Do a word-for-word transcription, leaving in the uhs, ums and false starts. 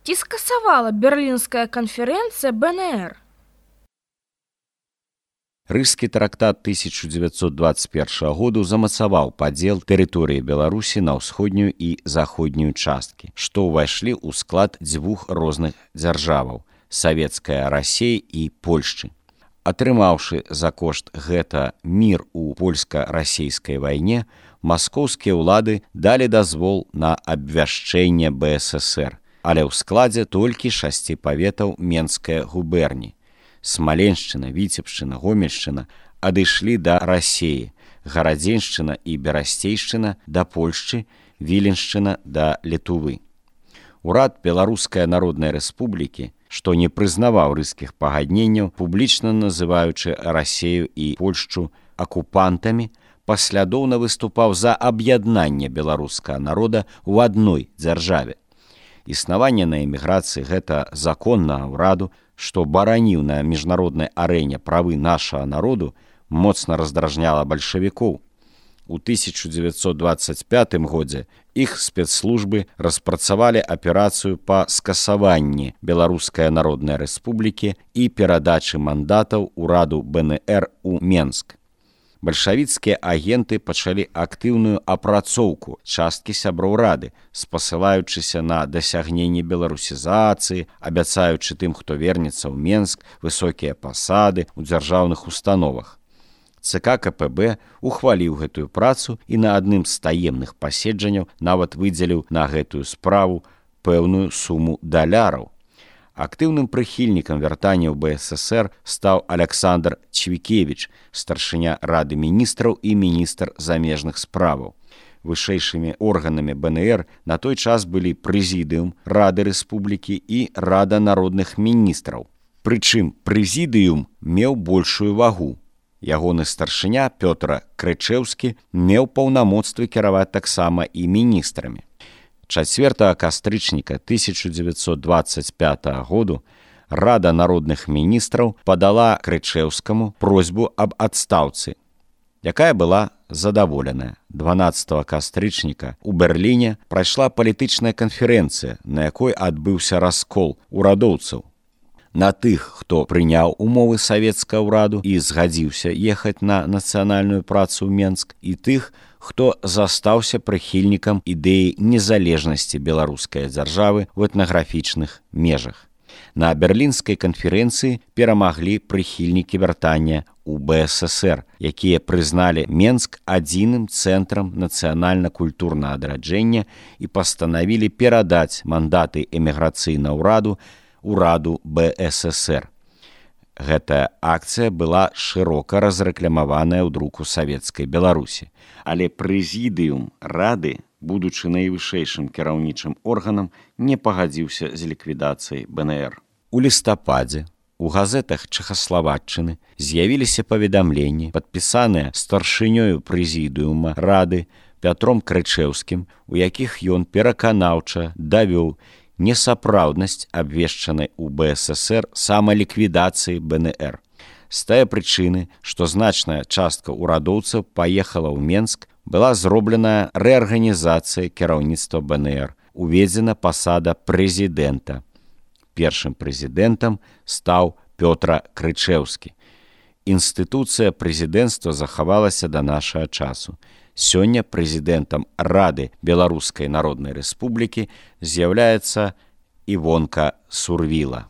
Ці скасавала Берлінская канферэнцыя бэ эн ер? Рыжскі трактат тысяча дзевяцьсот дваццаць першага году замацаваў падзел тэрыторыі Беларусі на ўсходнюю і заходнюю часткі, што ўвайшлі ў склад дзвюх розных дзяржаваў – Савецкая Расія і Польшчы. Атрымаўшы за кошт гэта мір у польска-расейскай вайне, маскоўскія ўлады далі дазвол на абвяшчэнне бэ эс эс ер, але ў складзе толькі шасці паветаў Менскай губерні. Смаленшчына, Віцебшчына, Гомельшчына адышлі да Расеі, Гарадзеншчына і Берасцейшчына да Польшчы, Віленшчына да Літувы. Урад Беларускай Народнай Рэспублікі, што не прызнаваў рыжскіх пагадненняў, публічна называючы Расею і Польшчу акупантамі, паслядоўна выступаў за аб'яднанне беларускага народа ў адной дзяржаве. Існаванне на эміграцыі гэта законнага ўраду, што бараніў на міжнароднай арэне правы нашага народу, моцна раздражняла бальшавікоў. У тысяча дзевяцьсот дваццаць пятым годзе іх спецслужбы распрацавалі аперацыю па скасаванні Беларускай Народнай Рэспублікі і перадачы мандатаў ураду бэ эн ер у Менск. Бальшавіцкія агенты пачалі актыўную апрацоўку часткі сяброў рады, спасылаючыся на дасягненне беларусізацыі, абяцаючы тым, хто вернецца ў Менск, высокія пасады ў дзяржаўных установах. ЦК ка пэ бэ ухваліў гэтую працу і на адным з таемных паседжанняў нават выдзеліў на гэтую справу пэўную суму даляраў. Актыўным прыхільнікам вяртання ў бэ эс эс ер стаў Аляксандр Чвікевіч, старшыня Рады міністраў і міністр замежных справаў. Вышэйшымі органамі бэ эн ер на той час былі прэзідыум Рады Рэспублікі і Рада народных міністраў. Прычым прэзідыум меў большую вагу. Ягоны старшыня Пётр Крычэўскі меў паўнамоцтвы кіраваць таксама і міністрамі. чацвёртага кастрычніка тысяча дзевяцьсот дваццаць пятага году Рада народных міністраў падала Крычэўскаму просьбу аб адстаўцы, якая была задаволеная. дванаццатага кастрычніка ў Берліне прайшла палітычная канферэнцыя, на якой адбыўся раскол урадоўцаў. На тых, хто прыняў умовы савецкага ўраду і згадзіўся ехаць на нацыянальную працу ў Менск, і тых, хто застаўся прыхільнікам ідэі незалежнасці беларускай дзяржавы ў этнаграфічных межах. На Берлінскай канферэнцыі перамаглі прыхільнікі вяртання ў бэ эс эс ер, якія прызналі Менск адзіным цэнтрам нацыянальна-культурнага адраджэння і пастанавілі перадаць мандаты эміграцыйнага ўраду ураду бэ эс эс ер. Гэтая акцыя была шырока разрэкламаваная ў друку савецкай Беларусі, але прэзідыум Рады, будучы найвышэйшым кіраўнічым органам, не пагадзіўся з ліквідацыяй бэ эн ер. У лістападзе у газетах Чэхаславаччыны з'явіліся паведамленні, падпісаныя старшынёю прэзідыума Рады Пятром Крычэўскім, у якіх ён пераканаўча давёў несапраўднасць абвешчанай у бэ эс эс ер самаліквідацыі бэ эн ер. З тае прычыны, што значная частка урадоўцаў паехала ў Менск, была зробленая рэарганізацыя кіраўніцтва бэ эн ер, уведзена пасада прэзідэнта. Першым прэзідэнтам стаў Пётр Крычэўскі. Інстытуцыя прэзідэнцтва захавалася да нашага часу. Сёння прэзідэнтам Рады Беларускай Народнай Рэспублікі з'яўляецца Івонка Сурвіла.